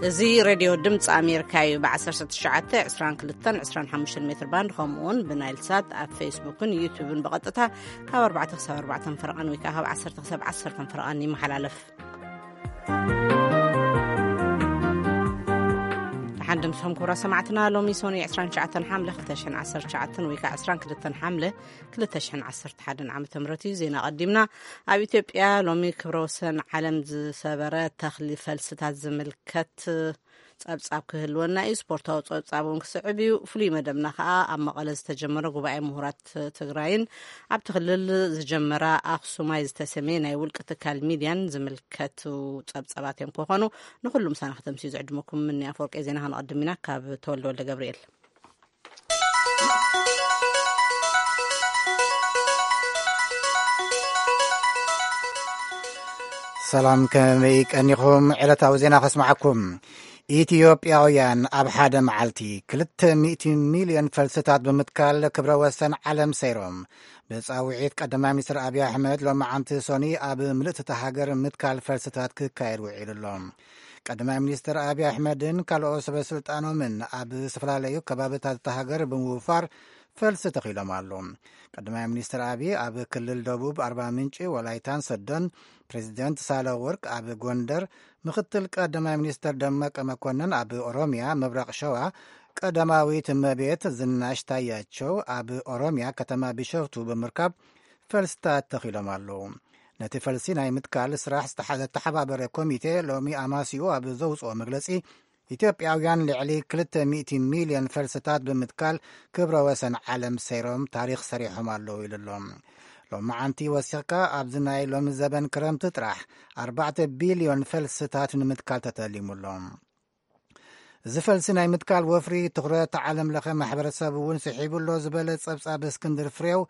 እዚ ሬድዮ ድምፂ ኣሜሪካ እዩ። ብ19፣ 22፣ 25 ሜትር ባንድ፣ ከምኡ እውን ብናይል ሳት ኣብ ፌስቡክን ዩቱብን ብቐጥታ ካብ ኣርባዕተ ክሳብ ኣርባዕተ ፈረቓን ወይ ከዓ ካብ ዓሰርተ ክሳብ ዓሰርተ ፈረቓን ይመሓላለፍ። ደሓን ድምፅኹም ክቡራት ሰማዕትና። ሎሚ ሶኒ 29 ሓምለ 2019 ወይ ከዓ 22 ሓምለ 2011 ዓመተ ምህረት እዩ። ዜና ቀዲምና። ኣብ ኢትዮጵያ ሎሚ ክብረ ወሰን ዓለም ዝሰበረ ተኽሊ ፈልስታት ዝምልከት ጸብጻብ ክህልወና እዩ። ስፖርታዊ ጸብጻብ እውን ክስዕብ እዩ። ፍሉይ መደብና ከኣ ኣብ መቐለ ዝተጀመረ ጉባኤ ምሁራት ትግራይን ኣብቲ ክልል ዝጀመራ ኣኽሱማይ ዝተሰመየ ናይ ውልቂ ትካል ሚድያን ዝምልከቱ ጸብጻባት እዮም ክኾኑ። ንኹሉ ምሳና ከተምስዩ ዝዕድመኩም ምኒ ኣፈወርቂ። ዜና ከነቐድም ኢና ካብ ተወልደ ወልደ ገብርኤል። ሰላም፣ ከመይ ቀኒኹም? ዕለታዊ ዜና ከስምዓኩም። ኢትዮጵያውያን ኣብ ሓደ መዓልቲ 200 ሚልዮን ፈልስታት ብምትካል ክብረ ወሰን ዓለም ሰይሮም። ብጻውዒት ቀዳማይ ሚኒስትር ኣብይ ኣሕመድ ሎሚ ዓንቲ ሶኒ ኣብ ምልእቲ እታ ሃገር ምትካል ፈልስታት ክካየድ ውዒሉ ኣሎ። ቀዳማይ ሚኒስትር ኣብይ ኣሕመድን ካልኦት ሰበ ስልጣኖምን ኣብ ዝተፈላለዩ ከባብታት እታ ሃገር ብምውፋር ፈልሲ ተኺሎም ኣለዉ። ቀዳማይ ሚኒስትር ኣብይ ኣብ ክልል ደቡብ ኣርባ ምንጭ፣ ወላይታን ሰዶን፣ ፕሬዚደንት ሳህለ ወርቅ ኣብ ጎንደር፣ ምክትል ቀዳማይ ሚኒስትር ደመቀ መኮንን ኣብ ኦሮሚያ ምብራቕ ሸዋ፣ ቀዳማዊት እመቤት ዝናሽ ታያቸው ኣብ ኦሮሚያ ከተማ ቢሾፍቱ ብምርካብ ፈልስታት ተኺሎም ኣለዉ። ነቲ ፈልሲ ናይ ምትካል ስራሕ ዝተሓ-፣ ዘተሓባበረ ኮሚቴ ሎሚ ኣማስዩ ኣብ ዘውፅኦ መግለፂ፣ ኢትዮጵያውያን ልዕሊ 200 ሚልዮን ፈልስታት ብምትካል ክብረ ወሰን ዓለም ሰይሮም ታሪኽ ሰሪሖም ኣለዉ ኢሉ ኣሎ። ሎመዓንቲ ወሲኽካ ኣብዚ ናይ ሎሚ ዘበን ክረምቲ ጥራሕ 4 ቢልዮን ፈልስታት ንምትካል ተተሊሙ ኣሎ። እዚ ፈልሲ ናይ ምትካል ወፍሪ ትኹረት ዓለም ለኸ ማሕበረሰብ እውን ስሒቡ ኣሎ ዝበለ ጸብጻብ እስክንድር ፍሬው፣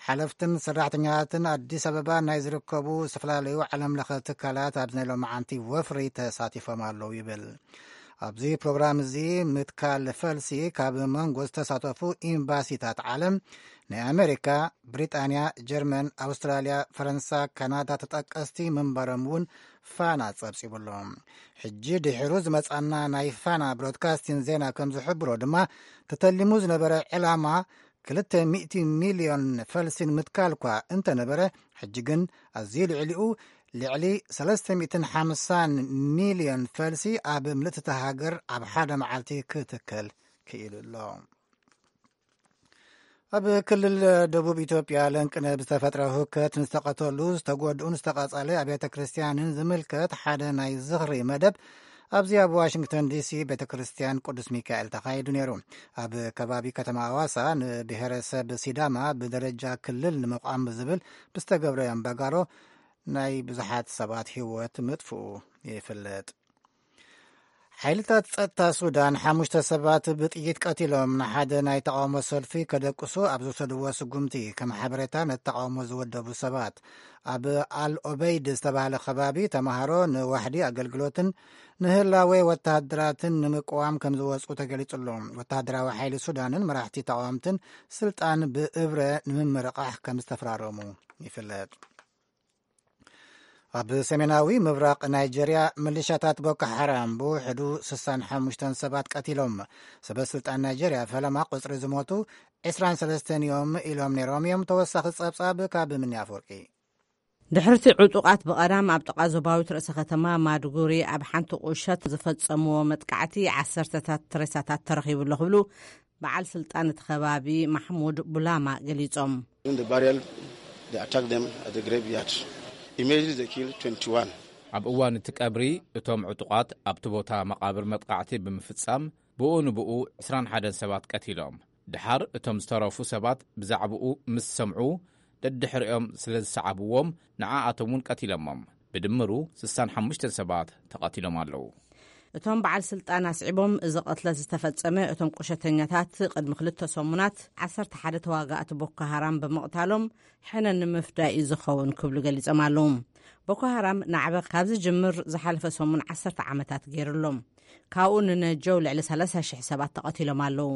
ሓለፍትን ሰራሕተኛታትን ኣዲስ ኣበባ ናይ ዝርከቡ ዝተፈላለዩ ዓለም ለኸ ትካላት ኣብዚ ናይ ሎመዓንቲ ወፍሪ ተሳቲፎም ኣለዉ ይብል። ኣብዚ ፕሮግራም እዚ ምትካል ፈልሲ ካብ መንጎ ዝተሳተፉ ኤምባሲታት ዓለም ናይ ኣሜሪካ፣ ብሪጣንያ፣ ጀርመን፣ ኣውስትራልያ፣ ፈረንሳ፣ ካናዳ ተጠቀስቲ ምንባሮም እውን ፋና ጸብጺቡ ኣሎ። ሕጂ ድሒሩ ዝመጻና ናይ ፋና ብሮድካስቲን ዜና ከም ዝሕብሮ ድማ፣ ተተሊሙ ዝነበረ ዕላማ 200 ሚልዮን ፈልሲን ምትካል እኳ እንተነበረ፣ ሕጂ ግን ኣዝዩ ልዕሊኡ ልዕሊ 350 ሚልዮን ፈልሲ ኣብ ምልእቲ እታ ሃገር ኣብ ሓደ መዓልቲ ክትከል ክኢሉ ኣሎ። ኣብ ክልል ደቡብ ኢትዮጵያ ለንቅነ ብዝተፈጥረ ህውከት ንዝተቐተሉ፣ ዝተጎድኡን ዝተቓጸለ ኣብያተ ክርስቲያንን ዝምልከት ሓደ ናይ ዝኽሪ መደብ ኣብዚ ኣብ ዋሽንግተን ዲሲ ቤተ ክርስቲያን ቅዱስ ሚካኤል ተኻይዱ ነይሩ። ኣብ ከባቢ ከተማ ኣዋሳ ንብሔረሰብ ሲዳማ ብደረጃ ክልል ንምቋም ዝብል ብዝተገብረ ኣምባጋሮ ናይ ብዙሓት ሰባት ህይወት ምጥፍኡ ይፍለጥ። ሓይልታት ጸጥታ ሱዳን ሓሙሽተ ሰባት ብጥይት ቀቲሎም ንሓደ ናይ ተቃውሞ ሰልፊ ከደቅሱ ኣብ ዝወሰድዎ ስጉምቲ፣ ከም ሓበሬታ ነቲ ተቃውሞ ዝወደቡ ሰባት፣ ኣብ ኣል ኦበይድ ዝተባህለ ከባቢ ተማሃሮ ንዋሕዲ ኣገልግሎትን ንህላዌ ወተሃደራትን ንምቅዋም ከም ዝወጹ ተገሊጹ ኣሎ። ወተሃደራዊ ሓይሊ ሱዳንን መራሕቲ ተቃወምትን ስልጣን ብእብረ ንምምርቃሕ ከም ዝተፈራረሙ ይፍለጥ። ኣብ ሰሜናዊ ምብራቕ ናይጀርያ፣ ምልሻታት ቦኮ ሓራም ብውሕዱ 65 ሰባት ቀቲሎም። ሰበ ስልጣን ናይጀርያ ፈለማ ቁጽሪ ዝሞቱ 23 እዮም ኢሎም ነይሮም እዮም። ተወሳኺ ጸብጻብ ካብ ምኒ ኣፈወርቂ። ድሕርቲ ዕጡቓት ብቐዳም ኣብ ጥቓ ዞባዊት ርእሰ ከተማ ማድጉሪ ኣብ ሓንቲ ቁሸት ዝፈጸምዎ መጥቃዕቲ ዓሰርተታት ሬሳታት ተረኺቡ ኣሎ ክብሉ በዓል ስልጣን እቲ ከባቢ ማሕሙድ ቡላማ ገሊጾም። During the burial, they attacked them at the graveyard. Immediately they killed twenty-one. ኣብ እዋን እቲ ቀብሪ፣ እቶም ዕጡቓት ኣብቲ ቦታ መቓብር መጥቃዕቲ ብምፍጻም፣ ብኡ ንብኡ 21 ሰባት ቀቲሎም። ድሓር እቶም ዝተረፉ ሰባት ብዛዕባኡ ምስ ሰምዑ፣ ደድሕሪኦም ስለ ዝሰዓብዎም፣ ንዓኣቶም እውን ቀቲሎሞም። ብድምሩ 65 ሰባት ተቐቲሎም ኣለዉ። እቶም በዓል ስልጣን ኣስዒቦም፣ እዚ ቅትለት ዝተፈጸመ እቶም ቁሸተኛታት ቅድሚ ክልተ ሰሙናት 11 ተዋጋእቲ ቦኮ ሃራም ብምቕታሎም ሕነ ንምፍዳይ እዩ ዝኸውን ክብሉ ገሊጾም ኣለዉ። ቦኮ ሃራም ናዕበ ካብ ዝጅምር ዝሓለፈ ሰሙን 10 ዓመታት ገይሩ ኣሎ። ካብኡ ንነጀው ልዕሊ 30,000 ሰባት ተቐቲሎም ኣለዉ።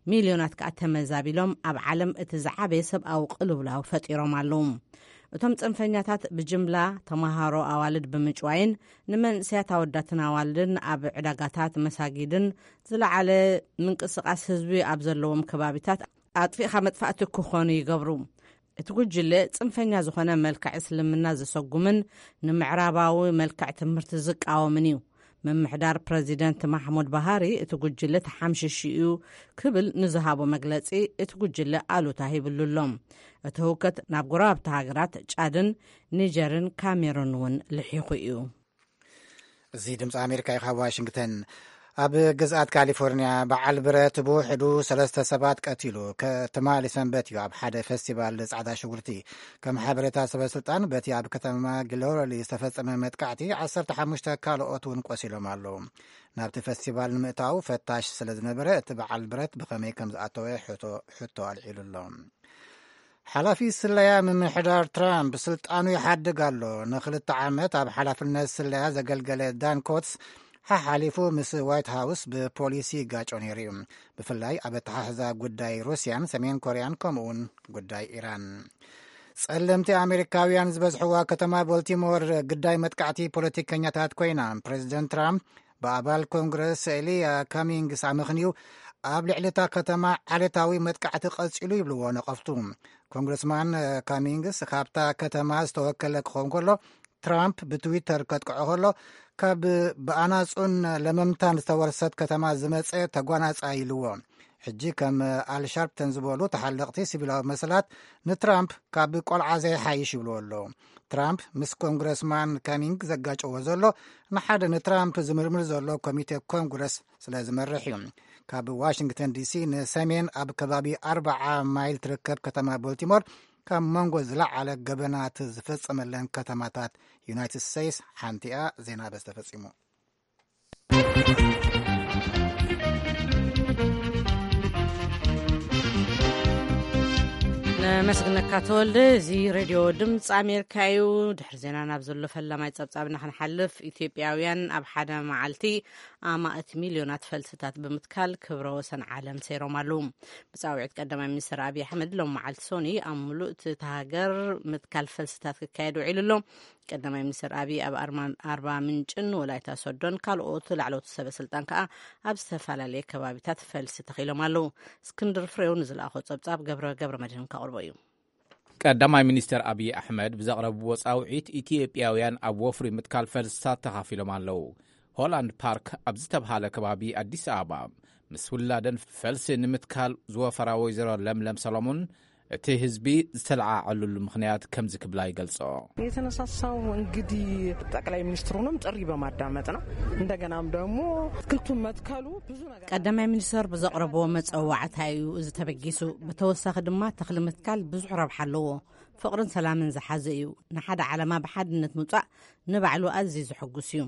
ሚልዮናት ከኣ ተመዛቢሎም ኣብ ዓለም እቲ ዝዓበየ ሰብኣዊ ቅልውላው ፈጢሮም ኣለዉ። እቶም ጽንፈኛታት ብጅምላ ተማሃሮ ኣዋልድ ብምጭዋይን ንመንእሰያት ኣወዳትን ኣዋልድን ኣብ ዕዳጋታት፣ መሳጊድን ዝለዓለ ምንቅስቓስ ህዝቢ ኣብ ዘለዎም ከባቢታት ኣጥፊእኻ መጥፋእቲ ክኾኑ ይገብሩ። እቲ ጉጅለ ጽንፈኛ ዝኾነ መልክዕ እስልምና ዘሰጉምን ንምዕራባዊ መልክዕ ትምህርቲ ዝቃወምን እዩ። ምምሕዳር ፕረዚደንት ማሕሙድ ባሃሪ እቲ ጉጅለ ተሓምሽሹ እዩ ክብል ንዝሃቦ መግለጺ፣ እቲ ጉጅለ ኣሉታ ሂብሉ ኣሎ። እቲ ህውከት ናብ ጎረባብቲ ሃገራት ጫድን ኒጀርን ካሜሩን እውን ልሒኹ እዩ። እዚ ድምፂ ኣሜሪካ እዩ፣ ካብ ዋሽንግተን። ኣብ ግዝኣት ካሊፎርኒያ በዓል ብረት ብውሕዱ ሰለስተ ሰባት ቀቲሉ። ከ- ትማሊ ሰንበት እዩ ኣብ ሓደ ፈስቲቫል ፃዕዳ ሽጉርቲ። ከም ሓበሬታ ሰበ ስልጣን፣ በቲ ኣብ ከተማ ግሎሪ ዝተፈጸመ መጥቃዕቲ ዓሰርተ ሓሙሽተ ካልኦት እውን ቆሲሎም ኣለዉ። ናብቲ ፈስቲቫል ንምእታው ፈታሽ ስለ ዝነበረ፣ እቲ በዓል ብረት ብኸመይ ከም ዝኣተወ ሕቶ ሕቶ ኣልዒሉ ኣሎ። ሓላፊ ስለያ ምምሕዳር ትራምፕ ስልጣኑ ይሓድግ ኣሎ። ንክልተ ዓመት ኣብ ሓላፍነት ስለያ ዘገልገለ ዳን ኮትስ ሓሓሊፉ ምስ ዋይት ሃውስ ብፖሊሲ ይጋጮ ነይሩ እዩ። ብፍላይ ኣብ ኣተሓሕዛ ጉዳይ ሩስያን ሰሜን ኮርያን፣ ከምኡውን ጉዳይ ኢራን። ጸለምቲ ኣሜሪካውያን ዝበዝሕዋ ከተማ ቦልቲሞር ግዳይ መጥቃዕቲ ፖለቲከኛታት ኮይና፣ ፕሬዚደንት ትራምፕ ብኣባል ኮንግረስ ኤልያ ካሚንግስ ኣመኽንዩ ኣብ ልዕሊ እታ ከተማ ዓሌታዊ መጥቃዕቲ ቀጺሉ ይብልዎ ነቐፍቱ። ኮንግረስማን ካሚንግስ፣ ካብታ ከተማ ዝተወከለ ክኸውን ከሎ፣ ትራምፕ ብትዊተር ከጥቅዖ ከሎ፣ ካብ ብኣናጹን ለመምታን ዝተወርሰት ከተማ ዝመጸ ተጓናጻይ ኢልዎ። ሕጂ ከም ኣል ሻርፕተን ዝበሉ ተሓለቕቲ ሲቪላዊ መሰላት ንትራምፕ ካብ ቆልዓ ዘይሓይሽ ይብልዎ ኣለዉ። ትራምፕ ምስ ኮንግረስማን ካሚንግ ዘጋጨዎ ዘሎ፣ ንሓደ ንትራምፕ ዝምርምር ዘሎ ኮሚቴ ኮንግረስ ስለ ዝመርሕ እዩ። ካብ ዋሽንግተን ዲሲ ንሰሜን ኣብ ከባቢ ኣርብዓ ማይል ትርከብ ከተማ ቦልቲሞር፣ ካብ መንጎ ዝለዓለ ገበናት ዝፈጸመለን ከተማታት ዩናይትድ ስቴትስ ሓንቲ እያ። ዜና በዚ ተፈጺሙ። ነመስግነካ ተወልደ። እዚ ሬድዮ ድምፂ ኣሜሪካ እዩ። ድሕሪ ዜና ናብ ዘሎ ፈላማይ ጸብጻብና ክንሓልፍ፣ ኢትዮጵያውያን ኣብ ሓደ መዓልቲ ኣማእት ሚልዮናት ፈልስታት ብምትካል ክብረ ወሰን ዓለም ሰይሮም ኣለዉ። ብጻውዒት ቀዳማይ ሚኒስትር ኣብይ ኣሕመድ፣ ሎም መዓልቲ ሶኒ ኣብ ምሉእ እቲ ሃገር ምትካል ፈልስታት ክካየድ ውዒሉ ኣሎ። ቀዳማይ ሚኒስትር ኣብይ ኣብ ኣርማ- ኣርባ ምንጭን ወላይታ ሶዶን ካልኦት ላዕለዎት ሰበ ስልጣን ከኣ ኣብ ዝተፈላለየ ከባቢታት ፈልሲ ተኺሎም ኣለዉ። እስክንድር ፍሬው ንዝለኣኾ ጸብጻብ ገብረ ገብረ መድህን ከቕርቦ እዩ። ቀዳማይ ሚኒስትር ኣብይ ኣሕመድ ብዘቕረብዎ ጻውዒት፣ ኢትዮጵያውያን ኣብ ወፍሪ ምትካል ፈልስታት ተኻፊሎም ኣለዉ። ሆላንድ ፓርክ ኣብ ዝተብሃለ ከባቢ ኣዲስ ኣበባ ምስ ውላደን ፈልሲ ንምትካል ዝወፈራ ወይዘሮ ለምለም ሰሎሞን፣ እቲ ህዝቢ ዝተለዓዓሉሉ ምኽንያት ከምዚ ክብላ ይገልጾ። የተነሳሳው እንግዲህ ጠቅላይ ሚኒስትሩንም ጥሪ በማዳመጥ ነው። እንደገናም ደግሞ አትክልቱን መትከሉ ብዙ ነገር ቀዳማይ ሚኒስትር ብዘቕረብዎ መጸዋዕታ እዩ እዚ ተበጊሱ። ብተወሳኺ ድማ ተኽሊ ምትካል ብዙሕ ረብሓ ኣለዎ። ፍቕርን ሰላምን ዝሓዘ እዩ። ንሓደ ዓላማ ብሓድነት ምውጻእ ንባዕሉ ኣዝዩ ዘሐጉስ እዩ።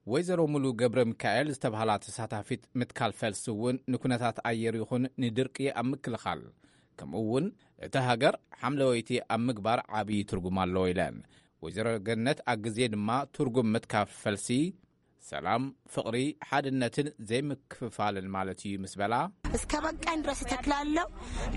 ወይዘሮ ሙሉ ገብረ ሚካኤል ዝተባህላ ተሳታፊት፣ ምትካል ፈልሲ እውን ንኩነታት ኣየር ይኹን ንድርቂ ኣብ ምክልኻል፣ ከምኡ እውን እታ ሃገር ሓምለወይቲ ኣብ ምግባር ዓብዪ ትርጉም ኣለዎ ኢለን። ወይዘሮ ገነት ኣግዜ ድማ ትርጉም ምትካል ፈልሲ ሰላም፣ ፍቕሪ፣ ሓድነትን ዘይምክፍፋልን ማለት እዩ ምስ በላ፣ እስከ በቃኝ ድረስ እተክላለሁ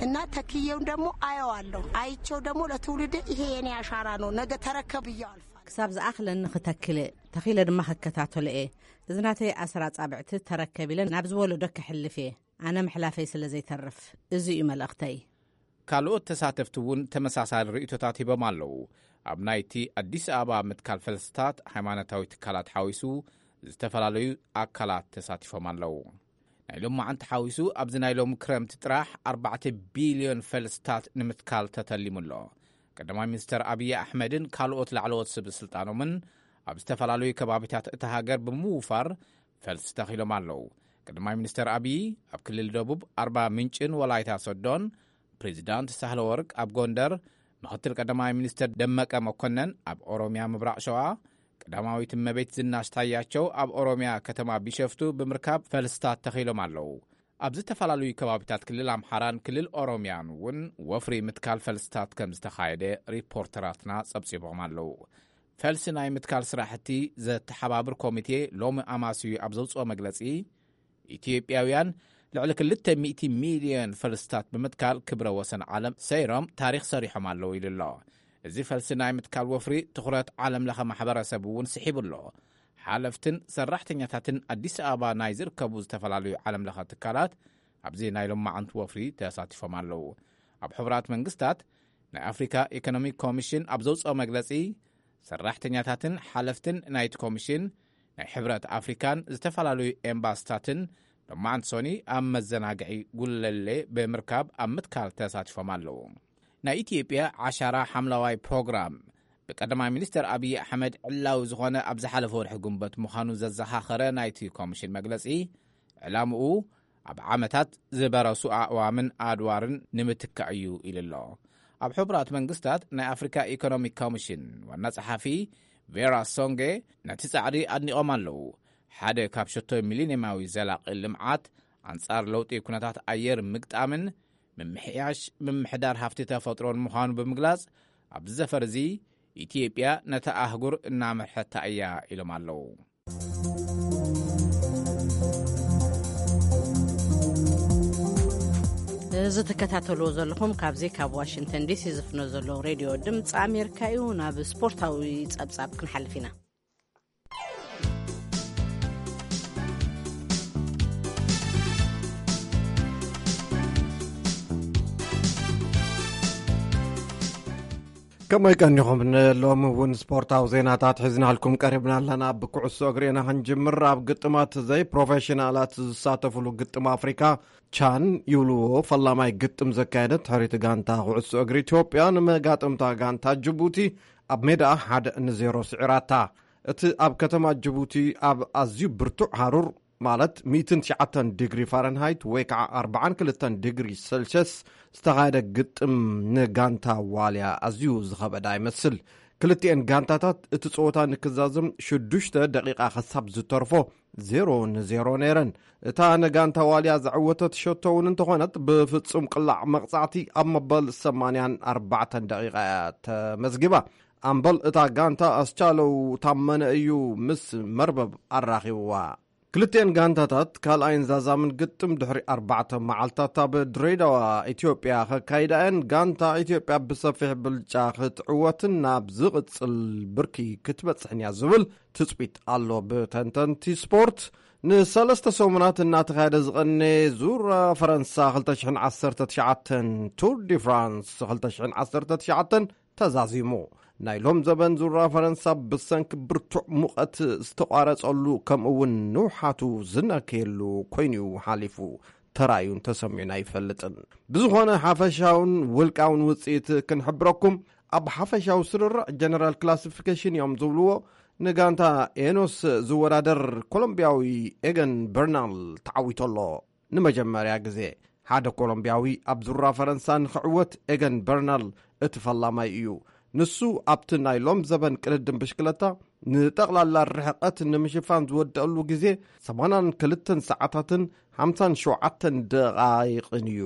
እና ተክዬውን ደግሞ አየዋለሁ። አይቼው ደግሞ ለትውልድ ይሄ የኔ አሻራ ነው፣ ነገ ተረከብ ብዬ አልፋለሁ። ክሳብ ዝኣኽለኒ ክተክል፣ ተኺለ ድማ ክከታተሎ እየ። እዚ ናተይ ኣሰር ኣጻብዕቲ ተረከብ ኢለ ናብ ዝወለዶ ክሕልፍ እየ። ኣነ ምሕላፈይ ስለ ዘይተርፍ፣ እዚ እዩ መልእኽተይ። ካልኦት ተሳተፍቲ እውን ተመሳሳሊ ርእይቶታት ሂቦም ኣለዉ። ኣብ ናይቲ ኣዲስ ኣበባ ምትካል ፈልስታት፣ ሃይማኖታዊ ትካላት ሓዊሱ፣ ዝተፈላለዩ ኣካላት ተሳቲፎም ኣለዉ። ናይ ሎማዓንቲ ሓዊሱ፣ ኣብዚ ናይ ሎሚ ክረምቲ ጥራሕ ኣርባዕተ ቢልዮን ፈልስታት ንምትካል ተተሊሙ ኣሎ። ቀዳማይ ሚኒስተር ኣብይ ኣሕመድን ካልኦት ላዕለዎት ሰብ ስልጣኖምን ኣብ ዝተፈላለዩ ከባቢታት እታ ሃገር ብምውፋር ፈልሲ ተኺሎም ኣለዉ። ቀዳማይ ሚኒስተር ኣብይ ኣብ ክልል ደቡብ ኣርባ ምንጭን ወላይታ ሶዶን፣ ፕሬዚዳንት ሳህለ ወርቅ ኣብ ጎንደር፣ ምኽትል ቀዳማይ ሚኒስተር ደመቀ መኮነን ኣብ ኦሮምያ ምብራቕ ሸዋ፣ ቀዳማዊት እመቤት ዝናሽ ታያቸው ኣብ ኦሮምያ ከተማ ቢሸፍቱ ብምርካብ ፈልስታት ተኺሎም ኣለዉ። ኣብ ዝተፈላለዩ ከባቢታት ክልል ኣምሓራን ክልል ኦሮምያን እውን ወፍሪ ምትካል ፈልስታት ከም ዝተኻየደ ሪፖርተራትና ጸብጺቦም ኣለዉ። ፈልሲ ናይ ምትካል ስራሕቲ ዘተሓባብር ኮሚቴ ሎሚ ኣማስዩ ኣብ ዘውፅኦ መግለፂ፣ ኢትዮጵያውያን ልዕሊ ክልተ ሚእቲ ሚልዮን ፈልስታት ብምትካል ክብረ ወሰን ዓለም ሰይሮም ታሪኽ ሰሪሖም ኣለዉ ኢሉ ኣሎ። እዚ ፈልሲ ናይ ምትካል ወፍሪ ትኹረት ዓለም ለኸ ማሕበረሰብ እውን ስሒቡ ኣሎ። ሓለፍትን ሰራሕተኛታትን ኣዲስ ኣበባ ናይ ዝርከቡ ዝተፈላለዩ ዓለም ለኸ ትካላት ኣብዚ ናይ ሎማዓንቲ ወፍሪ ተሳቲፎም ኣለዉ። ኣብ ሕቡራት መንግስታት ናይ ኣፍሪካ ኢኮኖሚክ ኮሚሽን ኣብ ዘውፅኦ መግለፂ፣ ሰራሕተኛታትን ሓለፍትን ናይቲ ኮሚሽን፣ ናይ ሕብረት ኣፍሪካን ዝተፈላለዩ ኤምባስታትን ሎማዓንቲ ሶኒ ኣብ መዘናግዒ ጉለሌ ብምርካብ ኣብ ምትካል ተሳቲፎም ኣለዉ። ናይ ኢትዮጵያ ዓሻራ ሓምለዋይ ፕሮግራም ብቀዳማይ ሚኒስትር ኣብይ ኣሕመድ ዕላዊ ዝኾነ ኣብ ዝሓለፈ ወርሒ ጉንበት ምዃኑ ዘዘኻኸረ ናይቲ ኮሚሽን መግለጺ፣ ዕላምኡ ኣብ ዓመታት ዝበረሱ ኣእዋምን ኣድዋርን ንምትካእ እዩ ኢሉ ኣሎ። ኣብ ሕቡራት መንግስታት ናይ ኣፍሪካ ኢኮኖሚክ ኮሚሽን ዋና ጸሓፊ ቬራ ሶንጌ ነቲ ጻዕሪ ኣድኒቖም ኣለዉ። ሓደ ካብ ሸቶ ሚሊኒየማዊ ዘላቒ ልምዓት ኣንጻር ለውጢ ኩነታት ኣየር ምግጣምን ምምሕያሽ ምምሕዳር ሃፍቲ ተፈጥሮን ምዃኑ ብምግላጽ፣ ኣብዚ ዘፈር እዚ ኢትዮጵያ ነታ ኣህጉር እናመርሐታ እያ ኢሎም ኣለዉ። እዚ ትከታተልዎ ዘለኹም ካብዚ ካብ ዋሽንግተን ዲሲ ዝፍኖ ዘሎ ሬድዮ ድምፂ ኣሜሪካ እዩ። ናብ ስፖርታዊ ጸብጻብ ክንሓልፍ ኢና። ከመይ ቀኒኹም? ንሎሚ እውን ስፖርታዊ ዜናታት ሒዝናልኩም ቀሪብና ኣለና። ብኩዕሶ እግሪ ኢና ክንጅምር። ኣብ ግጥማት ዘይፕሮፌሽናላት ዝሳተፍሉ ግጥም ኣፍሪካ ቻን ይብልዎ ፈላማይ ግጥም ዘካየደት ሕሪት ጋንታ ኩዕሶ እግሪ ኢትዮጵያ ንመጋጥምታ ጋንታ ጅቡቲ ኣብ ሜዳ ሓደ ንዜሮ ስዒራታ። እቲ ኣብ ከተማ ጅቡቲ ኣብ ኣዝዩ ብርቱዕ ሃሩር፣ ማለት ሚእትን ትሽዓተን ዲግሪ ፋረንሃይት ወይ ከዓ ኣርባዓን ክልተን ዲግሪ ሴልሽየስ ዝተኻየደ ግጥም ንጋንታ ዋልያ ኣዝዩ ዝኸበዳ ይመስል። ክልቲኤን ጋንታታት እቲ ጸወታ ንክዛዘም ሽዱሽተ ደቂቓ ክሳብ ዝተርፎ ዜሮ ንዜሮ ነይረን። እታ ንጋንታ ዋልያ ዘዕወተት ሸቶ እውን እንተኾነት ብፍጹም ቅላዕ መቕጻዕቲ ኣብ መበል ሰማንያን ኣርባዕተን ደቂቓ እያ ተመዝጊባ። ኣምበል እታ ጋንታ ኣስቻለው ታመነ እዩ ምስ መርበብ ኣራኺብዋ። ክልቲኤን ጋንታታት ካልኣይን ዛዛምን ግጥም ድሕሪ ኣርባዕተ መዓልታት ኣብ ድሬዳዋ ኢትዮጵያ ከካይዳ እየን። ጋንታ ኢትዮጵያ ብሰፊሕ ብልጫ ክትዕወትን ናብ ዝቕጽል ብርኪ ክትበጽሕን እያ ዝብል ትጽቢት ኣሎ ብተንተንቲ ስፖርት። ንሰለስተ ሰሙናት እናተኻየደ ዝቐነ ዙር ፈረንሳ ክልተ ሽሕን ዓሰርተ ትሽዓተን፣ ቱር ዲ ፍራንስ ክልተ ሽሕን ዓሰርተ ትሽዓተን ተዛዚሙ። ናይ ሎም ዘበን ዙራ ፈረንሳ ብሰንኪ ብርቱዕ ሙቐት ዝተቋረጸሉ፣ ከምኡ እውን ንውሓቱ ዝነከየሉ ኮይኑ'ዩ ሓሊፉ። ተራእዩን ተሰሚዑን ኣይፈልጥን። ብዝኾነ ሓፈሻውን ውልቃውን ውጽኢት ክንሕብረኩም፣ ኣብ ሓፈሻዊ ስርርዕ ጀነራል ክላሲፊኬሽን እዮም ዝብልዎ፣ ንጋንታ ኤኖስ ዝወዳደር ኮሎምቢያዊ ኤገን በርናል ተዓዊቱ ኣሎ። ንመጀመርያ ግዜ ሓደ ኮሎምቢያዊ ኣብ ዙራ ፈረንሳ ንኽዕወት ኤገን በርናል እቲ ፈላማይ እዩ። ንሱ ኣብቲ ናይ ሎም ዘበን ቅድድም ብሽክለታ ንጠቕላላ ርሕቐት ንምሽፋን ዝወደአሉ ግዜ ሰማንያን ክልተን ሰዓታትን ሓምሳን ሸውዓተን ደቓይቕን እዩ።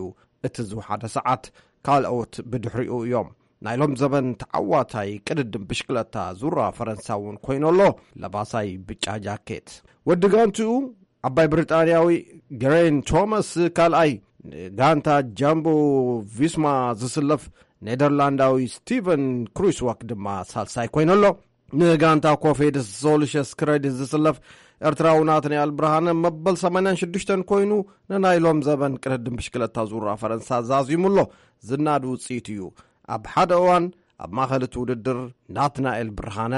እቲ ዝወሓደ ሰዓት ካልኦት ብድሕሪኡ እዮም። ናይ ሎም ዘበን ተዓዋታይ ቅድድም ብሽክለታ ዙራ ፈረንሳ እውን ኮይኑ ኣሎ። ለባሳይ ብጫ ጃኬት ወዲ ጋንትኡ ዓባይ ብሪጣንያዊ ገሬን ቶማስ ካልኣይ፣ ንጋንታ ጃምቦ ቪስማ ዝስለፍ ኔደርላንዳዊ ስቲቨን ክሩስወክ ድማ ሳልሳይ ኮይኑ ኣሎ። ንጋንታ ኮፌድ ሶሉሸስ ክሬዲት ዝስለፍ ኤርትራዊ ናትናኤል ብርሃነ መበል ሰማንያን ሽዱሽተን ኮይኑ ንናይ ሎም ዘበን ቅድድም ብሽክለታ ዙራ ፈረንሳ ዛዚሙ ኣሎ። ዝናድ ውፅኢት እዩ። ኣብ ሓደ እዋን ኣብ ማእኸል እቲ ውድድር ናትናኤል ብርሃነ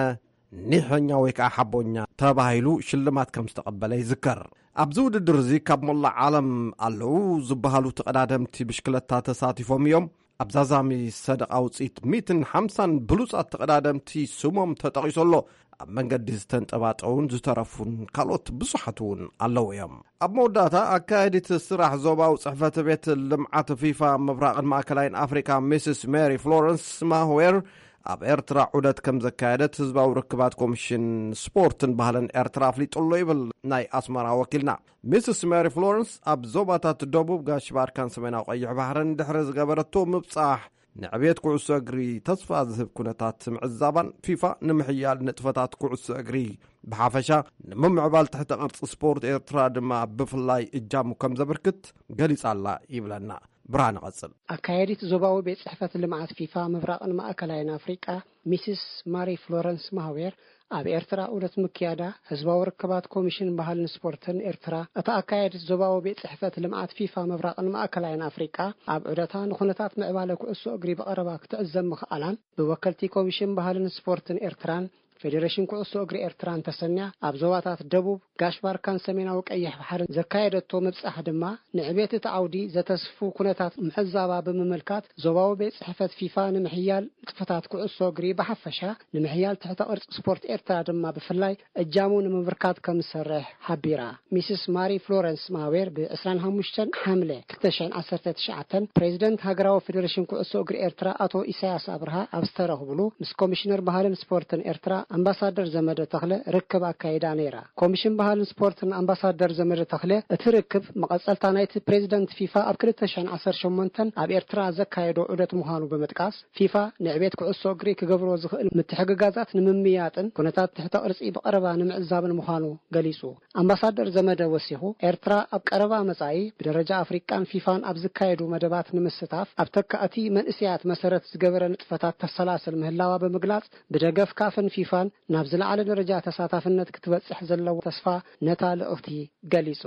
ኒሐኛ ወይ ከዓ ሓቦኛ ተባሂሉ ሽልማት ከም ዝተቐበለ ይዝከር። ኣብዚ ውድድር እዚ ካብ መላእ ዓለም ኣለዉ ዝበሃሉ ተቐዳደምቲ ብሽክለታ ተሳቲፎም እዮም። ኣብ ዛዛሚ ሰደቓ ውፅኢት ሚእትን ሓምሳን ብሉፃት ተቐዳደምቲ ስሞም ተጠቒሱ ኣሎ። ኣብ መንገዲ ዝተንጠባጠቡን ዝተረፉን ካልኦት ብዙሓት እውን ኣለዉ እዮም። ኣብ መወዳእታ ኣካየዲት ስራሕ ዞባዊ ጽሕፈት ቤት ልምዓት ፊፋ ምብራቕን ማእከላይን ኣፍሪካ ሚስስ ሜሪ ፍሎረንስ ማህዌር ኣብ ኤርትራ ዑደት ከም ዘካየደት ህዝባዊ ርክባት ኮሚሽን ስፖርትን ባህልን ኤርትራ ኣፍሊጡ ኣሎ ይብል ናይ ኣስመራ ወኪልና። ሚስስ ሜሪ ፍሎረንስ ኣብ ዞባታት ደቡብ ጋሽ ባርካን ሰሜናዊ ቀይሕ ባሕርን ድሕሪ ዝገበረቶ ምብጻሕ ንዕብየት ኩዕሶ እግሪ ተስፋ ዝህብ ኩነታት ምዕዛባን ፊፋ ንምሕያል ንጥፈታት ኩዕሶ እግሪ ብሓፈሻ ንምምዕባል ትሕተ ቅርጺ ስፖርት ኤርትራ ድማ ብፍላይ እጃሙ ከም ዘበርክት ገሊጻ ኣላ ይብለና። ብርሃነ ቀጽል። ኣካየዲት ዞባዊ ቤት ጽሕፈት ልምዓት ፊፋ ምብራቕን ማእከላይን ኣፍሪቃ ሚስስ ማሪ ፍሎረንስ ማህዌር ኣብ ኤርትራ ዑደት ምክያዳ ህዝባዊ ርክባት ኮሚሽን ባህልን ስፖርትን ኤርትራ፣ እታ ኣካየዲት ዞባዊ ቤት ጽሕፈት ልምዓት ፊፋ ምብራቕን ማእከላይን ኣፍሪቃ ኣብ ዑደታ ንኹነታት ምዕባለ ኩዕሶ እግሪ ብቐረባ ክትዕዘብ ምኽኣላን ብወከልቲ ኮሚሽን ባህልን ስፖርትን ኤርትራን ፌዴሬሽን ኩዕሶ እግሪ ኤርትራን ተሰንያ ኣብ ዞባታት ደቡብ፣ ጋሽ ባርካን ሰሜናዊ ቀይሕ ባሕርን ዘካየደቶ ምብጻሕ ድማ ንዕቤት እቲ ዓውዲ ዘተስፉ ኩነታት ምዕዛባ ብምምልካት ዞባዊ ቤት ጽሕፈት ፊፋ ንምሕያል ንጥፈታት ኩዕሶ እግሪ ብሓፈሻ ንምሕያል ትሕተ ቅርጺ ስፖርት ኤርትራ ድማ ብፍላይ እጃሙ ንምብርካት ከም ዝሰርሕ ሓቢራ። ሚስስ ማሪ ፍሎረንስ ማዌር ብ ዕስራን ሓሙሽተን ሓምለ ክልተ ሽሕን ዓሰርተ ትሽዓተን ፕሬዚደንት ሃገራዊ ፌዴሬሽን ኩዕሶ እግሪ ኤርትራ ኣቶ ኢሳያስ ኣብርሃ ኣብ ዝተረኽብሉ ምስ ኮሚሽነር ባህልን ስፖርትን ኤርትራ ኣምባሳደር ዘመደ ተኽለ ርክብ ኣካይዳ ነይራ። ኮሚሽን ባህልን ስፖርትን ኣምባሳደር ዘመደ ተኽለ እቲ ርክብ መቐጸልታ ናይቲ ፕሬዚደንት ፊፋ ኣብ ክልተ ሽሕን ዓሰርተ ሸሞንተን ኣብ ኤርትራ ዘካየዶ ዑደት ምዃኑ ብምጥቃስ ፊፋ ንዕቤት ኩዕሶ እግሪ ክገብሮ ዝኽእል ምትሕግጋዛት ንምምያጥን ኩነታት ትሕተ ቅርጺ ብቐረባ ንምዕዛብን ምዃኑ ገሊጹ። ኣምባሳደር ዘመደ ወሲኹ፣ ኤርትራ ኣብ ቀረባ መጻኢ ብደረጃ ኣፍሪቃን ፊፋን ኣብ ዝካየዱ መደባት ንምስታፍ ኣብ ተካእቲ መንእሰያት መሰረት ዝገበረ ንጥፈታት ተሰላስል ምህላዋ ብምግላጽ፣ ብደገፍ ካፍን ፊፋን ናብ ዝለዓለ ደረጃ ተሳታፍነት ክትበጽሕ ዘለዎ ተስፋ ነታ ልእኽቲ ገሊጹ።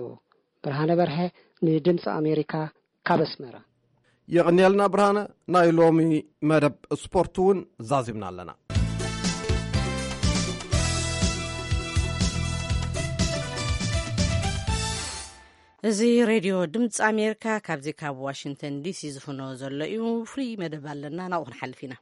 ብርሃነ በርሀ ንድምፂ ኣሜሪካ ካብ ኣስመራ። የቕንየልና ብርሃነ። ናይ ሎሚ መደብ ስፖርት እውን ዛዚምና ኣለና። እዚ ሬድዮ ድምፂ ኣሜሪካ ካብዚ ካብ ዋሽንግተን ዲሲ ዝፍኖ ዘሎ እዩ። ፍሉይ መደብ ኣለና፣ ናብኡ ክንሓልፍ ኢና።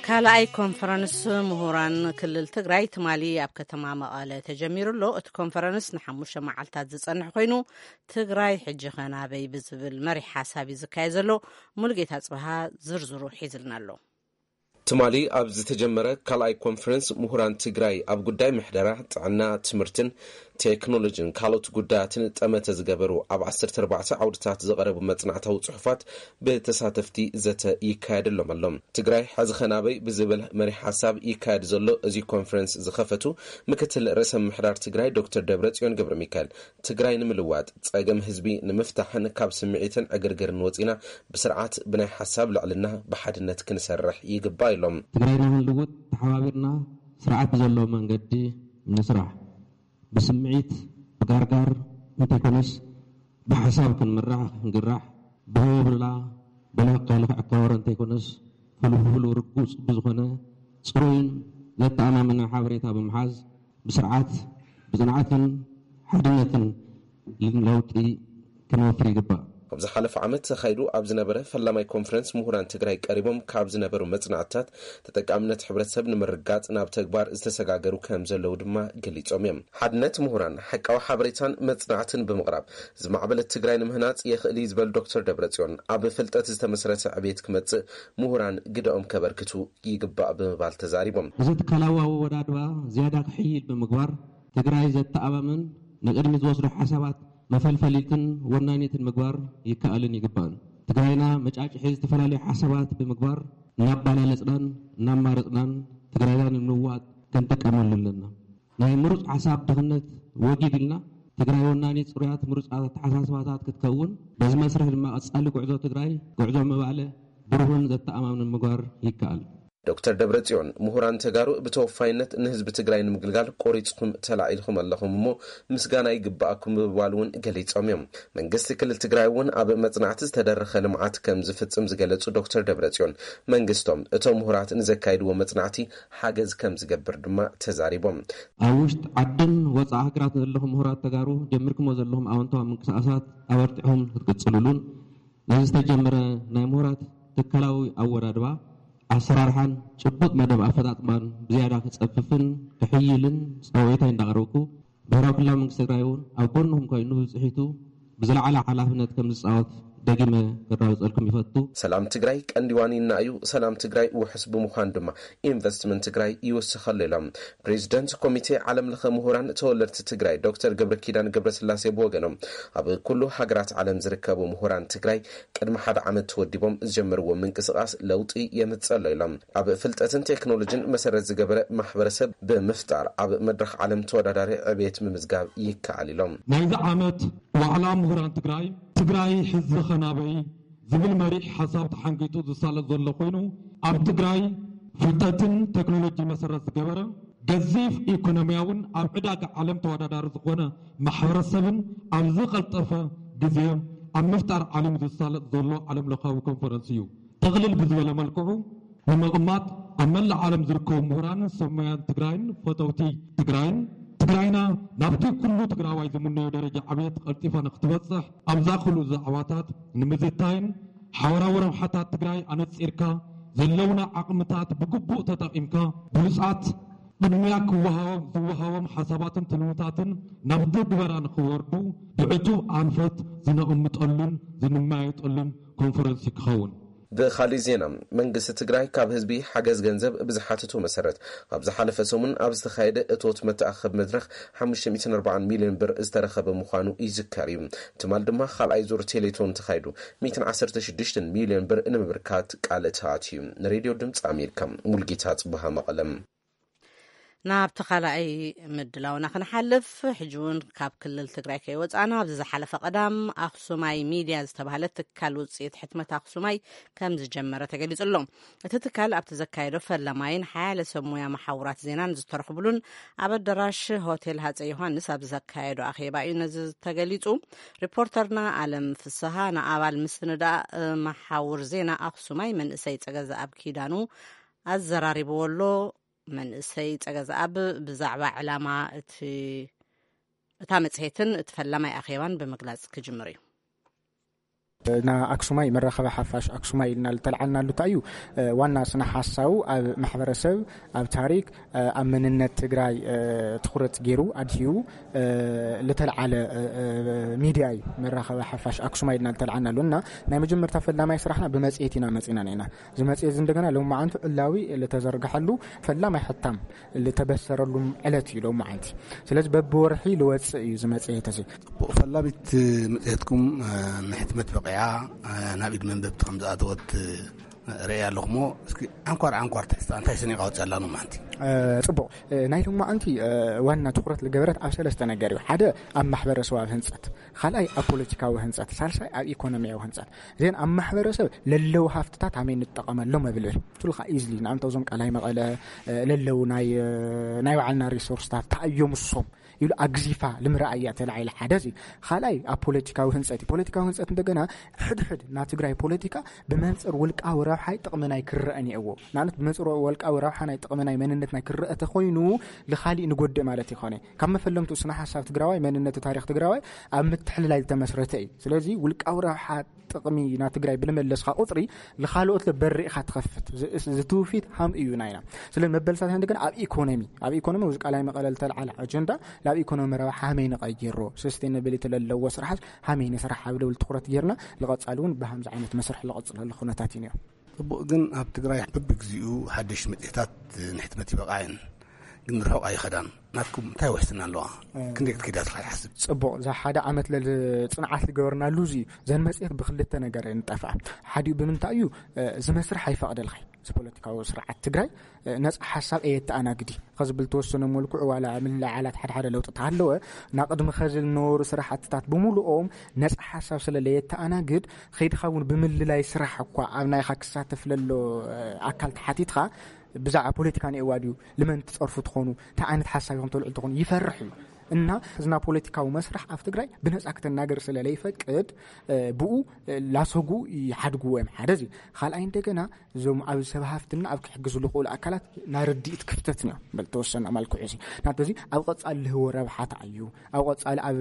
ካልኣይ ኮንፈረንስ ምሁራን ክልል ትግራይ ትማሊ ኣብ ከተማ መቐለ ተጀሚሩ ኣሎ። እቲ ኮንፈረንስ ንሓሙሽተ መዓልታት ዝጸንሕ ኮይኑ፣ ትግራይ ሕጂ ኸ ናበይ ብዝብል መሪሕ ሓሳብ እዩ ዝካየድ ዘሎ። ሙሉጌታ ጽብሃ ዝርዝሩ ሒዝልና ኣሎ። ትማሊ ኣብ ዝተጀመረ ካልኣይ ኮንፈረንስ ምሁራን ትግራይ ኣብ ጉዳይ ምሕደራ፣ ጥዕና፣ ትምህርትን ቴክኖሎጂን ካልኦት ጉዳያትን ጠመተ ዝገበሩ ኣብ ዓሰርተ ኣርባዕተ ዓውድታት ዝቐረቡ መጽናዕታዊ ጽሑፋት ብተሳተፍቲ ዘተ ይካየደሎም ኣሎ። ትግራይ ሕዚ ኸ ናበይ ብዝብል መሪሕ ሓሳብ ይካየድ ዘሎ እዚ ኮንፈረንስ ዝኸፈቱ ምክትል ርእሰ ምምሕዳር ትግራይ ዶክተር ደብረጽዮን ገብረ ሚካኤል፣ ትግራይ ንምልዋጥ፣ ጸገም ህዝቢ ንምፍታሕን ካብ ስምዒትን ዕግርግርን ወጺና ብስርዓት ብናይ ሓሳብ ልዕልና ብሓድነት ክንሰርሕ ይግባእ ኢሎም። ትግራይና ክንልውጥ ተሓባቢርና ስርዓት ብዘለዎ መንገዲ ንስራሕ። ብስምዒት ብጋርጋር እንተይኮነስ ብሓሳብ ክንምራሕ ክንግራሕ ብህብላ ብናቃ ልኽዕ ካወረ እንተይኮነስ ፍልፍሉ ርጉፅ ብዝኾነ ፅሩይን ዘተኣማምነ ሓበሬታ ብምሓዝ ብስርዓት ብፅንዓትን ሓድነትን ለውጢ ክንወፍር ይግባእ። ኣብ ዝሓለፈ ዓመት ተኻይዱ ኣብ ዝነበረ ፈላማይ ኮንፈረንስ ምሁራን ትግራይ ቀሪቦም ካብ ዝነበሩ መፅናዕትታት ተጠቃምነት ሕብረተሰብ ንምርጋፅ ናብ ተግባር ዝተሰጋገሩ ከም ዘለዉ ድማ ገሊፆም እዮም። ሓድነት ምሁራን ሓቃዊ ሓበሬታን መፅናዕትን ብምቕራብ ዝማዕበለት ትግራይ ንምህናፅ የኽእል እዩ ዝበሉ ዶክተር ደብረፅዮን ኣብ ፍልጠት ዝተመስረተ ዕቤት ክመፅእ ምሁራን ግደኦም ከበርክቱ ይግባእ ብምባል ተዛሪቦም። እዚ ትካላዊ ኣወዳድባ ዝያዳ ክሕይል ብምግባር ትግራይ ዘተኣማምን ንቕድሚት ዝወስዱ ሓሳባት መፈልፈሊትን ወናኒትን ምግባር ይከኣልን ይግባእን። ትግራይና መጫጭሒ ዝተፈላለዩ ሓሳባት ብምግባር እናባላለፅናን እናማረፅናን ትግራይና ንምልዋጥ ክንጥቀመሉ ኣለና። ናይ ምሩፅ ሓሳብ ድኽነት ወጊድ ኢልና ትግራይ ወናኒት ፅሩያት ምሩፃት ኣተሓሳስባታት ክትከውን በዚ መስርሕ ድማ ቀፃሊ ጉዕዞ ትግራይ ጉዕዞ ምባለ ብሩህን ዘተኣማምንን ምግባር ይከኣል። ዶክተር ደብረጽዮን ምሁራን ተጋሩ ብተወፋይነት ንህዝቢ ትግራይ ንምግልጋል ቆሪፅኹም ተላዒልኹም ኣለኹም እሞ ምስጋና ይግባኣኩም ብምባል እውን ገሊፆም እዮም። መንግስቲ ክልል ትግራይ እውን ኣብ መፅናዕቲ ዝተደረኸ ልምዓት ከም ዝፍፅም ዝገለፁ ዶክተር ደብረጽዮን መንግስቶም እቶም ምሁራት ንዘካይድዎ መፅናዕቲ ሓገዝ ከም ዝገብር ድማ ተዛሪቦም። ኣብ ውሽጢ ዓድን ወፃኢ ሃገራት ዘለኹም ምሁራት ተጋሩ ጀሚርኩሞ ዘለኹም ኣወንታዊ ምንቅስቃሳት ኣበርቲዕኹም ክትቅፅሉሉን ነዚ ዝተጀመረ ናይ ምሁራት ትካላዊ ኣወዳድባ ኣሰራርሓን ጭቡጥ መደብ ኣፈፃፅማን ብዝያዳ ክፀፍፍን ክሕይልን ፃውዒታይ እንዳቕረብኩ፣ ብሄራዊ ክልላዊ መንግስቲ ትግራይ እውን ኣብ ጎንኹም ኮይኑ ብብፅሒቱ ብዝለዓለ ሓላፍነት ከም ዝፃወት ደጊመ ክራወፀልኩም ይፈቱ። ሰላም ትግራይ ቀንዲ ዋኒና እዩ። ሰላም ትግራይ ውሑስ ብምዃን ድማ ኢንቨስትመንት ትግራይ ይውስኸሉ ኢሎም ፕሬዚደንት ኮሚቴ ዓለም ለኸ ምሁራን ተወለድቲ ትግራይ ዶክተር ገብረ ኪዳን ገብረስላሴ ብወገኖም፣ ኣብ ኩሉ ሃገራት ዓለም ዝርከቡ ምሁራን ትግራይ ቅድሚ ሓደ ዓመት ተወዲቦም ዝጀመርዎ ምንቅስቃስ ለውጢ የምፅእ ኣሎ ኢሎም። ኣብ ፍልጠትን ቴክኖሎጂን መሰረት ዝገበረ ማሕበረሰብ ብምፍጣር ኣብ መድረኽ ዓለም ተወዳዳሪ ዕቤት ምምዝጋብ ይከኣል ኢሎም። ናይዚ ዓመት ዋዕላ ምሁራን ትግራይ፣ ትግራይ ሕዝብኸ ናበይ ዝብል መሪሕ ሓሳብ ተሓንጊጡ ዝሳለጥ ዘሎ ኮይኑ፣ ኣብ ትግራይ ፍልጠትን ቴክኖሎጂ መሰረት ዝገበረ ገዚፍ ኢኮኖሚያውን ኣብ ዕዳጋ ዓለም ተወዳዳሪ ዝኾነ ማሕበረሰብን ኣብ ዝቐልጠፈ ግዜ ኣብ ምፍጣር ዓሊሙ ዝሳለጥ ዘሎ ዓለም ለኻዊ ኮንፈረንስ እዩ። ጥቕልል ብዝበለ መልክዑ ንምቕማጥ፣ ኣብ መላእ ዓለም ዝርከቡ ምሁራንን ሰብ ሞያን ትግራይን ፈተውቲ ትግራይን፣ ትግራይና ናብቲ ኩሉ ትግራዋይ ዝምነዮ ደረጃ ዕብየት ቀልጢፋ ንክትበፅሕ ኣብዛ ክልኡ ዛዕባታት ንምዝታይን ሓበራዊ ረብሓታት ትግራይ ኣነፂርካ ዘለውና ዓቕምታት ብግቡእ ተጠቒምካ ብሉፃት ቅድሚያ ክወሃቦም ዝወሃቦም ሓሳባትን ትልምታትን ናብ ትግበራ ንክወርዱ ብዕቱብ ኣንፈት ዝነቕምጠሉን ዝንመያየጠሉን ኮንፈረንስ ክኸውን። ብኻሊእ ዜና፣ መንግስቲ ትግራይ ካብ ህዝቢ ሓገዝ ገንዘብ ብዝሓተቶ መሰረት፣ ኣብ ዝሓለፈ ሰሙን ኣብ ዝተኻየደ እቶት መተኣኸቢ መድረኽ ሓሙሽተ ሚእትን ኣርባዓን ሚልዮን ብር ዝተረኸበ ምዃኑ ይዝከር እዩ። ትማል ድማ ካልኣይ ዙር ቴሌቶን ተኻይዱ፣ ሚእትን ዓሰርተ ሽዱሽተን ሚልዮን ብር ንምብርካት ቃል ተኣትዩ። ንሬድዮ ድምፂ ኣሜሪካ፣ ሙልጌታ ጽቡሃ፣ መቐለም። ናብቲ ካልኣይ ምድላውና ክንሓልፍ፣ ሕጂ እውን ካብ ክልል ትግራይ ከይወፃእና፣ ኣብዚ ዝሓለፈ ቀዳም ኣኽሱማይ ሚድያ ዝተባህለ ትካል ውፅኢት ሕትመት ኣኽሱማይ ከም ዝጀመረ ተገሊፁ ኣሎ። እቲ ትካል ኣብቲ ዘካየዶ ፈለማይን ሓያለ ሰብ ሙያ መሓውራት ዜናን ዝተረኽብሉን ኣብ ኣዳራሽ ሆቴል ሃፀይ ዮሃንስ ኣብ ዘካየዶ ኣኼባ እዩ ነዚ ተገሊፁ። ሪፖርተርና ኣለም ፍስሃ ንኣባል ምስንዳእ መሓውር ዜና ኣኽሱማይ መንእሰይ ፀገዘኣብ ኪዳኑ ኣዘራሪብዎ ኣሎ። መንእሰይ ፀገዘኣብ ብዛዕባ ዕላማ እቲ እታ መፅሄትን እቲ ፈላማይ ኣኼባን ብምግላፅ ክጅምር እዩ። ንኣክሱማይ መራኸቢ ሓፋሽ ኣክሱማይ ኢልና ዝተልዓልናሉ እንታይ እዩ? ዋና ስነ ሓሳቡ ኣብ ማሕበረሰብ፣ ኣብ ታሪክ፣ ኣብ መንነት ትግራይ ትኹረት ገይሩ ኣድሂቡ ዝተልዓለ ሚድያ እዩ። መራኸቢ ሓፋሽ ኣክሱማይ ኢልና ዝተልዓልናሉ እና ናይ መጀመርታ ፈላማይ ስራሕና ብመፅሄት ኢና መፂና ነና። እዚ መፅሄት እዚ እንደገና ሎማዓንቲ ዕላዊ ዝተዘርግሐሉ ፈላማይ ሕታም ዝተበሰረሉ ዕለት እዩ ሎማዓንቲ። ስለዚ በብወርሒ ዝወፅእ እዩ እዚ መፅሄት እዚ። ጽቡቕ፣ ፈላሚት መጽሔትኩም ንሕትመት በቒዓ ናብ ኢድ መንበብቲ ከም ዝኣተወት ርእየ ኣለኹ። እሞ እስኪ ዓንኳር ዓንኳር ትሕዝታ እንታይ ሰኒቓ ወፂኣ ኣላ ሎማዓንቲ? ጽቡቕ፣ ናይ ሎማዓንቲ ዋና ትኹረት ዝገበረት ኣብ ሰለስተ ነገር እዩ። ሓደ ኣብ ማሕበረሰባዊ ህንፀት፣ ካልኣይ ኣብ ፖለቲካዊ ህንፀት፣ ሳልሳይ ኣብ ኢኮኖሚያዊ ህንፀት። እዚን ኣብ ማሕበረሰብ ለለዉ ሃፍትታት ሃመይ ንጠቐመሎም እብል እየ። ትልካ ኢዝሊ ንኣንተ እዞም ቃላይ መቐለ ለለዉ ናይ ናይ ባዕልና ሪሶርስታት ተኣዮም እሶም ኢሉ ኣግዚፋ ልምረኣያ ተላዒለ። ሓደ እዚ ካልኣይ ኣብ ፖለቲካዊ ህንፀት እዩ። ፖለቲካዊ ህንፀት እንደገና ሕድሕድ ና ትግራይ ፖለቲካ ብመንፅር ውልቃዊ ረብሓይ ጥቕሚ ናይ ክረአ እኒአዎ። ንኣብነት ብመንፅር ውልቃዊ ረብሓ ናይ ጥቕሚ ናይ መንነት ናይ ክረአ ተኮይኑ ልኻሊእ ንጎድእ ማለት ይኾነ። ካብ መፈለምቱ ስነ ሓሳብ ትግራዋይ መንነት ታሪክ ትግራዋይ ኣብ ምትሕልላይ ዝተመስረተ እዩ። ስለዚ ውልቃዊ ረብሓ ጥቕሚ ና ትግራይ ብልመለስካ ቁፅሪ ንካልኦት ለበሪእካ ትኸፍት ዝትውፊት ሃም እዩ ናይና። ስለ መበልሳት እንደገና ኣብ ኢኮኖሚ ኣብ ኢኮኖሚ ውዚ ቃላይ መቐለ ዝተልዓለ ኣጀንዳ ናብ ኢኮኖሚ ረብሓ ሃመይ ንቐይሮ፣ ሰስቴናቢሊቲ ለለዎ ስራሓት ሃመይ ንስራሕ ኣብ ልብል ትኩረት ጌርና ልቐፃሉ እውን ብሃምዚ ዓይነት መስርሕ ልቐፅለሉ ኩነታት እዩ ነይሩ። ጽቡቕ፣ ግን ኣብ ትግራይ በብግዚኡ ሓደሽ መጽሔታት ንሕትመት ይበቕዓ እየን፣ ግን ርሑቕ ኣይኸዳን። ናትኩም እንታይ ውሕስና ኣለዋ? ክንደይ ክትከይዳ ትኽእል ሓስብ? ጽቡቕ፣ እዛ ሓደ ዓመት ለል ጽንዓት ዝገበርናሉ እዚ እዩ። ዘን መጽሔት ብክልተ ነገር እየን ዝጠፍኣ። ሓዲኡ ብምንታይ እዩ? እዚ መስርሕ ኣይፈቕደልካይ። እዚ ፖለቲካዊ ስርዓት ትግራይ ነፃ ሓሳብ እየተኣናግዲ ከዝብል ተወሰነ መልክዑ ዋላ ምልዓላት ሓደ ሓደ ለውጢ ተሃለወ ናቅድሚ ከዚ ዝነበሩ ስራሕትታት ብምሉኦም ነፃ ሓሳብ ስለ ለየተኣናግድ ከይድካ እውን ብምልላይ ስራሕ እኳ ኣብ ናይካ ክሳተፍ ለሎ ኣካል ተሓቲትካ ብዛዕባ ፖለቲካ ንኤዋ ድዩ ልመን ትፀርፉ ትኾኑ እንታይ ዓይነት ሓሳብ ኢኹም ተልዑ ትኾኑ ይፈርሕ እዩ። እና እዝና ፖለቲካዊ መስራሕ ኣብ ትግራይ ብነፃ ክተናገር ስለ ለይፈቅድ ብኡ ላሰጉ ይሓድግዎ እዮም። ሓደ እዚ ካልኣይ እንደገና እዞም ኣብ ሰብ ሃፍትና ኣብ ክሕግዙ ዝኽእሉ ኣካላት ናይ ርድኢት ክፍተት እዮም። በል ተወሰነ መልክዑ እዚ ናት እዚ ኣብ ቀፃሊ ልህቦ ረብሓታ እዩ። ኣብ ቀፃሊ ኣብ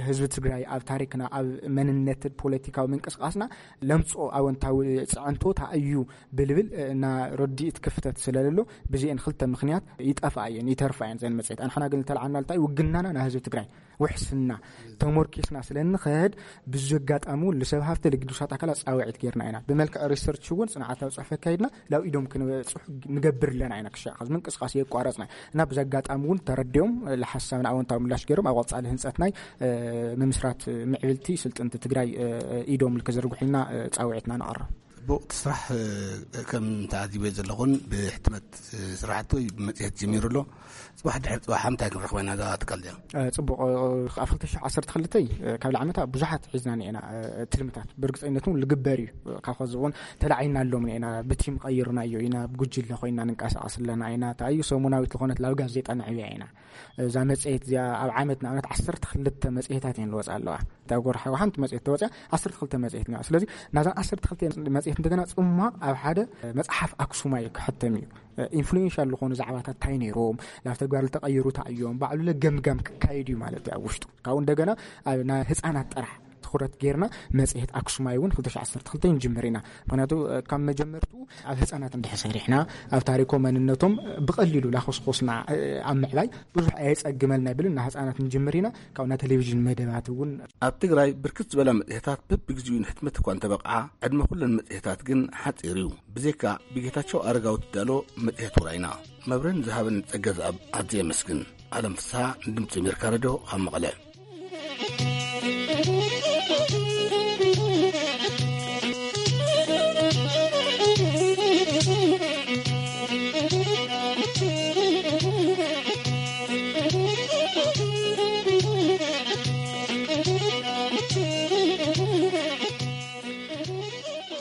ህዝቢ ትግራይ ኣብ ታሪክና ኣብ መንነት ፖለቲካዊ ምንቅስቃስና ለምፅኦ ኣወንታዊ ፅዕንቶታ እዩ ብልብል እና ርድኢት ክፍተት ስለለሎ ብዚአን ክልተ ምክንያት ይጠፍኣ እየን ይተርፋ እየን ዘን መፅሄት ኣንሕና ግን ዝተልዓልና ልታይ ውግናና ህዝቢ ትግራይ ውሕስና ተሞርኪስና ስለ እንኸድ፣ ብዙ ኣጋጣሚ እውን ንሰብ ሃፍቲ ልግዱሳት ኣካላት ፃውዒት ጌርና ኢና። ብመልክዕ ሪሰርች እውን ፅንዓታዊ ፅሑፍ ኣካይድና ናብ ኢዶም ክንበፅሑ ንገብር ኣለና ኢና። ክሻዕ ካብ ምንቅስቃስ የቋረፅና እና ብዚ ኣጋጣሚ እውን ተረዲኦም፣ እ፣ ለሓሳብና ኣወንታዊ ምላሽ ገይሮም ኣብ ቀፃሊ ህንፀት ናይ፣ እ፣ ምምስራት ምዕብልቲ ስልጥንቲ ትግራይ፣ እ፣ ኢዶም ክዝርግሑልና፣ እ፣ ፃውዒትና ነቕርብ። ጽቡቕ፣ እቲ ስራሕ፣ እ፣ ከም ተዓዚበ ዘለኹን ብሕትመት፣ እ፣ ስራሕቲ ወይ ብመጽሔት ጀሚሩ ኣሎ። ጽባሕ ድሕሪ ጽባሕ እንታይ ክንረኽባ ኢና እዛ ትካል እዚኣ? እ፣ ጽቡቕ፣ እ፣ ኣብ ክልተ ሽሕ ዓሰርተ ክልተ፣ እ፣ ካብ ላዕመታ ብዙሓት ሒዝና ኢና፣ እ፣ ትልምታት። ብርግጸኝነት እውን ልግበር እዩ። እ፣ ካብ ኸዚ እውን ተላዒልና ኣሎም ኢና፣ ብቲም ቀይርናዮ ኢና፣ ብጉጅለ ኮይና ንንቀሳቐስ ኣለና ኢና። እንታይ እዩ ሰሙናዊት ዝኾነት ላብ ጋዜጣ ነዕብያ ኢና። እዛ መጽሔት እዚኣ ኣብ ዓመት ንኣብነት ዓሰርተ ክልተ መጽሔታት እየን ዝወጻ ኣለዋ። እታ ጎርሓዊ ሓንቲ መጽሔት ተወጽያ ዓሰርተ ክልተ መጽሔት እኒኣ። ስለዚ ናዛ ዓሰርተ ክልተ መጽሔት እንደገና ጽማቕ ኣብ ሓደ መጽሓፍ ኣክሱማይ ክሕተም እዩ። ኢንፍሉዌንሻል ዝኾኑ ዛዕባታት እንታይ ነይሮም፣ ናብ ተግባር ዝተቐየሩ እንታይ እዮም፣ ባዕሉ ለገምጋም ክካየድ እዩ ማለት እዩ ኣብ ውሽጡ። ካብኡ እንደገና ኣብ ናይ ህፃናት ጥራሕ ትኹረት ጌርና መጽሔት ኣክሱማይ እውን ክልተ ሽሕ ዓሰርተ ክልተ ንጅምር ኢና። ምክንያቱ ካብ መጀመርቱ ኣብ ህፃናት እንድሕር ሰሪሕና፣ ኣብ ታሪኮም መንነቶም ብቐሊሉ ላኾስኮስና ኣብ ምዕባይ ብዙሕ ኣየጸግመልና ይብል እና ህፃናት ንጅምር ኢና። ካብኡ ናይ ቴሌቪዥን መደባት እውን ኣብ ትግራይ ብርክት ዝበላ መጽሔታት በብግዚኡ ንሕትመት እኳ እንተበቕዓ፣ ዕድመ ኩለን መጽሔታት ግን ሓጺር እዩ። ብዘይካ ብጌታቸው ኣረጋዊ ትዳሎ መጽሔት ውራይና መብረን ዝሃበን ጸገ ዝኣብ ኣዝየ የመስግን። ኣለም ፍስሓ ንድምፂ ኣሜሪካ ሬድዮ ካብ መቐለ።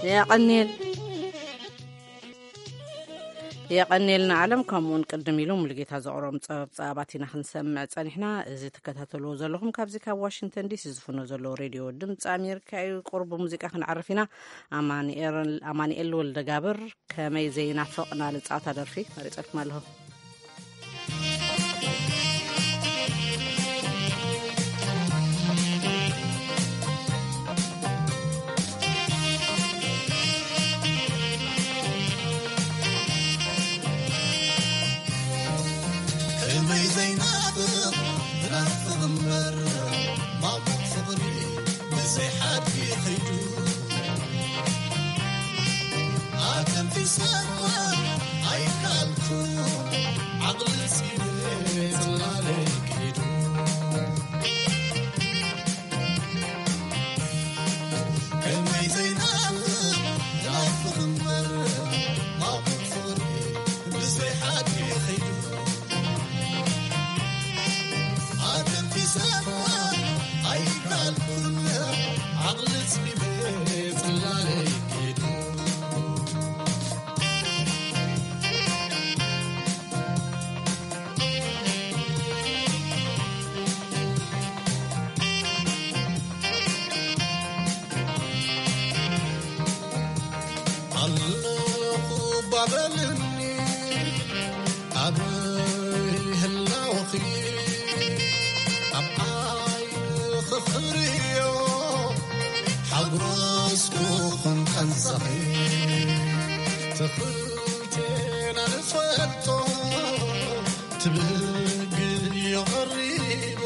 የቐንየል የቐንየልና ዓለም። ከምኡውን ቅድም ኢሉ ሙሉጌታ ዘቕረቦም ጸብጻባት ኢና ክንሰምዕ ጸኒሕና። እዚ ትከታተልዎ ዘለኹም ካብዚ ካብ ዋሽንግተን ዲሲ ዝፍኖ ዘሎ ሬድዮ ድምፂ ኣሜሪካ እዩ። ቁሩብ ሙዚቃ ክንዓርፍ ኢና። ኣማኑኤል ኣማኑኤል ወልደጋብር ከመይ ዘይናፍቕ ናልጻታ ደርፊ መሪጸልኩም ኣለኹ። ከመይ ዘይናፍቕ ናፍቕ እምበር ማሙቕ ፍቕሪ ብዘይ ሓድጊ ኸይዱ ኣተንፊሰ ኣይከኣልኩ ዓቕሊ ስኢነ ጽላለይ ከይዱ። ከመይ ዘይናፍቕ ናፍቕ እምበር ማሙቕ ፍቕሪ ብዘይ ሓድጊ ኸይዱ። ኣተንፊሰ ኣይከኣልኩን ዓቕሊ ስኢነ ጽላለይ ከይዱ። ኣለኹ ባበልኒ ኣበይ ህላወኺ ኣብ ዓይንኺ ክርእዮ ሓጉረስኩ ኹን ቀንሰኺ ትኽልቴና ንፈልጦ ትብግዮ ቐሪበ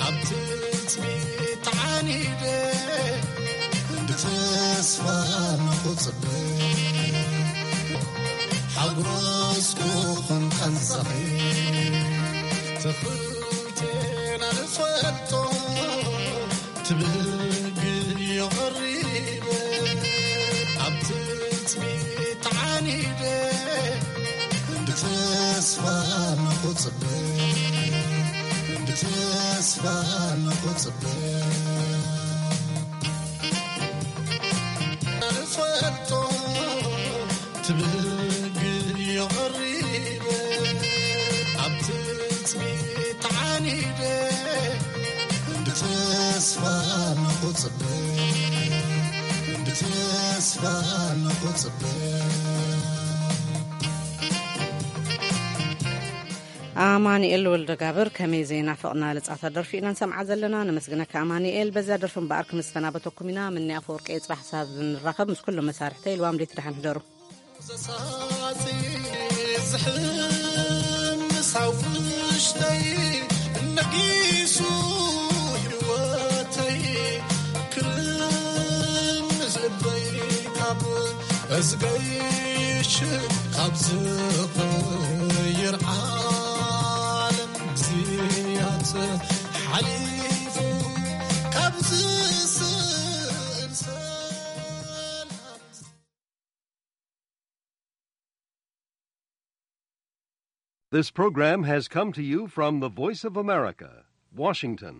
ኣብ ትጽቢት ተዓኒደ ብተስፋ ንኽጽበ ሓጎስኩ ኹን ቀንሰኺ ትኽልቴና ንፈልጦ ትብግዮ ቐሪበ ኣብ ትጽቢት ተዓኒደ ብተስፋ ንኽጽበ ብተስፋ ንኽጽበ ንፈልጦ ትብግዮ ቐሪበ ኣብ ትጽቢት ተዓኒደ ብተስፋ ንኽጽበ ብተስፋ ንኽጽበ ኣማኑኤል ወልደጋብር ከመይ ዘይናፍቕና ልጻታ ደርፊ ኢና ንሰምዓ ዘለና። ነመስግነካ ኣማኑኤል። በዛ ደርፊ እምበኣር ክንሰናበተኩም ኢና። ምኒ ኣፈወርቂ ጽባሕ ሳብ ንራኸብ ምስ ኩሎም መሳርሕተይ ልዋም ለይቲ ደሓን ሕደሩ። ዘሳሲ ዝሕምስ ኣብ ውሽጠይ ነጊሱ ህይወተይ ክርም ዝእበይ ካብ እዝገይሽ ካብ ዝቕይር ዓለም ግዜያት ሓሊፉ ካብ ዝስእል ሰላም This program has come to you from the Voice of America, Washington.